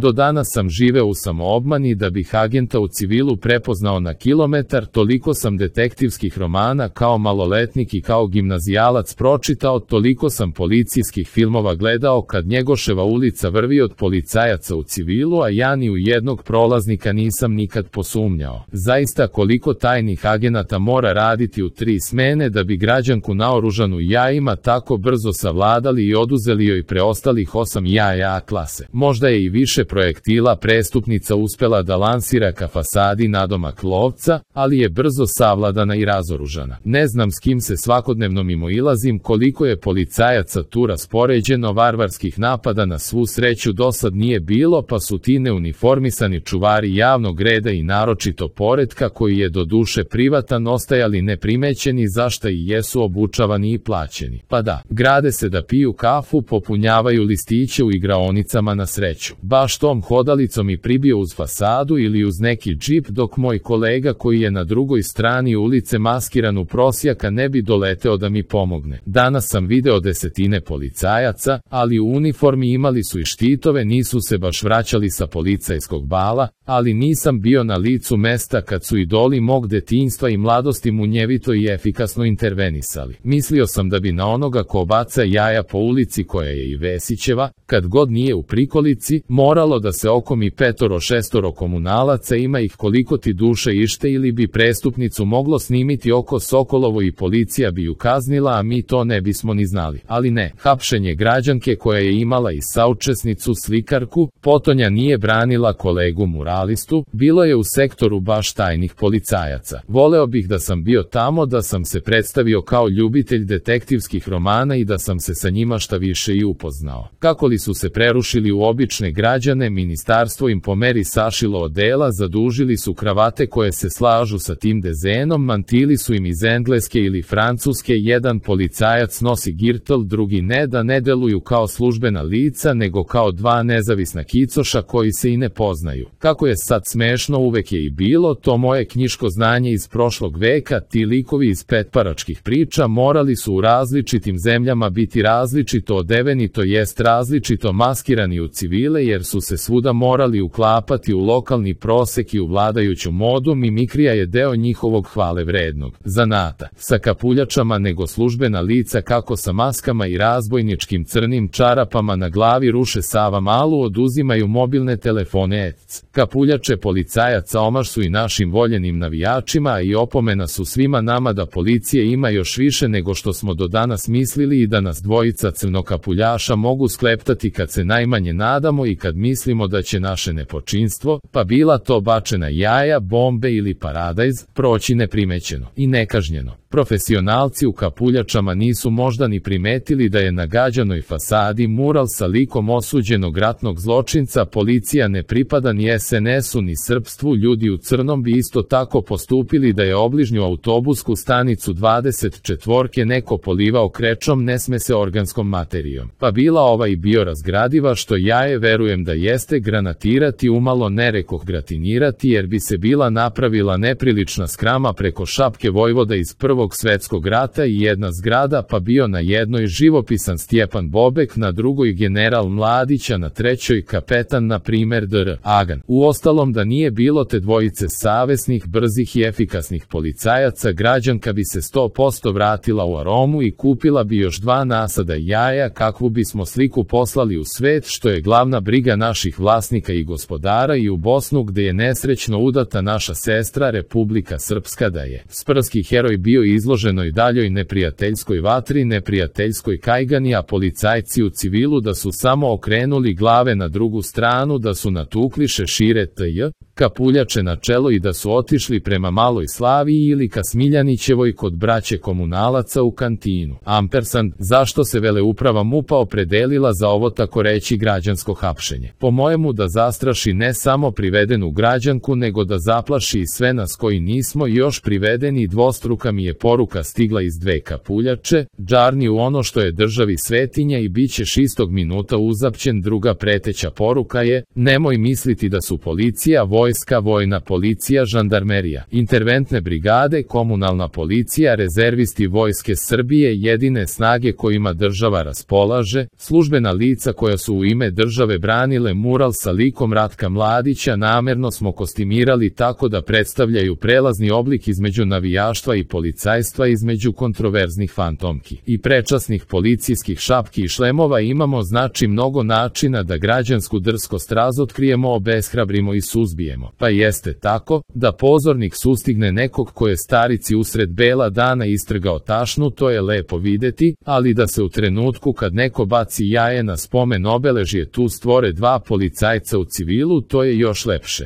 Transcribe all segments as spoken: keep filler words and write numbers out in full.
Do danas sam živeo u samoobmani da bih agenta u civilu prepoznao na kilometar, toliko sam detektivskih romana kao maloletnik i kao gimnazijalac pročitao, toliko sam policijskih filmova gledao kad Njegoševa ulica vrvi od policajaca u civilu, a ja ni u jednog prolaznika nisam nikad posumnjao. Zaista koliko tajnih agenata mora raditi u tri smene da bi građanku naoružanu jajima tako brzo savladali i oduzeli joj preostalih osam jaja A klase. Možda je i više projektila prestupnica uspela da lansira ka fasadi nadomak lovca, ali je brzo savladana i razoružana. Ne znam s kim se svakodnevno mimoilazim, koliko je policajaca tu raspoređeno, varvarskih napada na svu sreću dosad nije bilo, pa su ti neuniformisani čuvari javnog reda i naročito poretka, koji je do duše privatan, ostajali neprimećeni, zašta i jesu obučavani i plaćeni. Pa da, grade se da piju kafu, popunjavaju listiće u igraonicama na sreću. Baš tom hodalicom i pribio uz fasadu ili uz neki džip, dok moj kolega koji je na drugoj strani ulice maskiran u prosjaka ne bi doleteo da mi pomogne. Danas sam video desetine policajaca, ali u uniformi, imali su i štitove, nisu se baš vraćali sa policajskog bala, ali nisam bio na licu mesta kad su idoli mog detinjstva i mladosti munjevito i efikasno intervenisali. Mislio sam da bi na onoga ko baca jaja po ulici, koja je i Vesićeva, kad god nije u prikolici, moralo da se okomi petoro šestoro komunalaca, ima ih koliko ti duše ište, ili bi prestupnicu moglo snimiti oko Sokolovo i policija bi ju kaznila, a mi to ne bismo ni znali. Ali ne, hapšenje građanke koja je imala i saučesnicu slikarku, potonja nije branila kolegu muralistu, bilo je u sektoru baš tajnih policajaca. Voleo bih da sam bio tamo, da sam se predstavio kao ljubitelj detektivskih romana i da sam se sa njima šta više i upoznao. Kako li su se prerušili u obične građane, ministarstvo im po meri sašilo odela, zadužili su kravate koje se slažu sa tim dezenom, mantili su im iz engleske ili francuske, jedan policajac nosi girtl, drugi ne, da ne deluju kao službena lica, nego kao dva nezavisna kicoša koji se i ne poznaju. Kako je sad smešno, uvek je i bilo, to moje knjiško znanje iz prošlog veka, ti likovi iz petparačkih priča morali su u različitim zemljama biti različito odeveni, to jest različito maskirani u civile, jer su se svuda morali uklapati u lokalni prosek i u vladajuću modu. Mimikrija je deo njihovog hvale vrednog zanata. Sa kapuljačama nego službena lica, kako sa maskama i razbojničkim crnim čarapama na glavi ruše Sava Malu, oduzimaju mobilne telefone ec. Kapuljače policajaca omaš su i našim voljenim navijačima, i opomena su svima nama da policije ima još više nego što smo do danas mislili i da nas dvojica crnokapuljaša mogu skleptati kad se najmanje nadamo i kad mislimo da će naše nepočinstvo, pa bila to bačena jaja, bombe ili paradajz, proći neprimećeno i nekažnjeno. Profesionalci u kapuljačama nisu možda ni primetili da je na gađanoj fasadi mural sa likom osuđenog ratnog zločinca. Policija ne pripada ni es en esu ni srpstvu, ljudi u crnom bi isto tako postupili da je obližnju autobusku stanicu dvadeset četvorke neko polivao krečom, ne sme se organskom materijom. Pa bila ova i biorazgradiva, što jaje verujem da jeste, granatirati umalo, ne rekoh gratinirati, jer bi se bila napravila neprilična skrama preko šapke vojvoda iz prvog svetskog rata i jedna zgrada, pa bio na jednoj živopisan Stjepan Bobek, na drugoj general Mladića, na trećoj kapetan, na primer dr. Agan. Uostalom, da nije bilo te dvojice savesnih, brzih i efikasnih policajaca, građanka bi se sto posto vratila u aromu i kupila bi još dva nasada jaja. Kakvu bismo sliku poslali u svet, što je glavna briga naših vlasnika i gospodara, i u Bosnu, gde je nesrećno udata naša sestra Republika Srpska, da je sprski heroj bio izloženoj daljoj neprijateljskoj vatri, neprijateljskoj kajgani, a policajci u civilu da su samo okrenuli glave na drugu stranu, da su natukli šešire tj. kapuljače na čelo i da su otišli prema Maloj Slaviji ili ka Smiljanićevoj kod braće komunalaca u kantinu. Ampersand, zašto se veleuprava MUP-a opredelila za ovo tako reći građansko hapšenje? Po mojemu da zastraši ne samo privedenu građanku, nego da zaplaši i sve nas koji nismo još privedeni. Dvostruka mi je poruka stigla iz dve kapuljače, džarni u ono što je državi svetinja i bit ćeš istog minuta uzapćen. Druga preteća poruka je, nemoj misliti da su policija, vojska, vojna policija, žandarmerija, interventne brigade, komunalna policija, rezervisti Vojske Srbije jedine snage kojima država raspolaže, službena lica koja su u ime države branile napravile mural sa likom Ratka Mladića, namerno smo kostimirali tako da predstavljaju prelazni oblik između navijaštva i policajstva, između kontroverznih fantomki i prečasnih policijskih šapki i šlemova. Imamo znači mnogo načina da građansku drskost razotkrijemo, obeshrabrimo i suzbijemo. Pa jeste tako, da pozornik sustigne nekog ko je starici usred bela dana istrgao tašnu, to je lepo videti, ali da se u trenutku kad neko baci jaje na spomen obeležje tu stvore dva policajca u civilu, to je još lepše.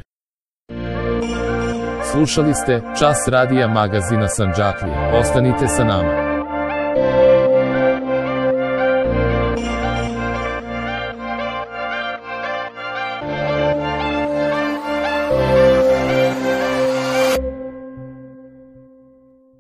Slušali ste Čas radija magazina Sandžaklije. Ostanite sa nama.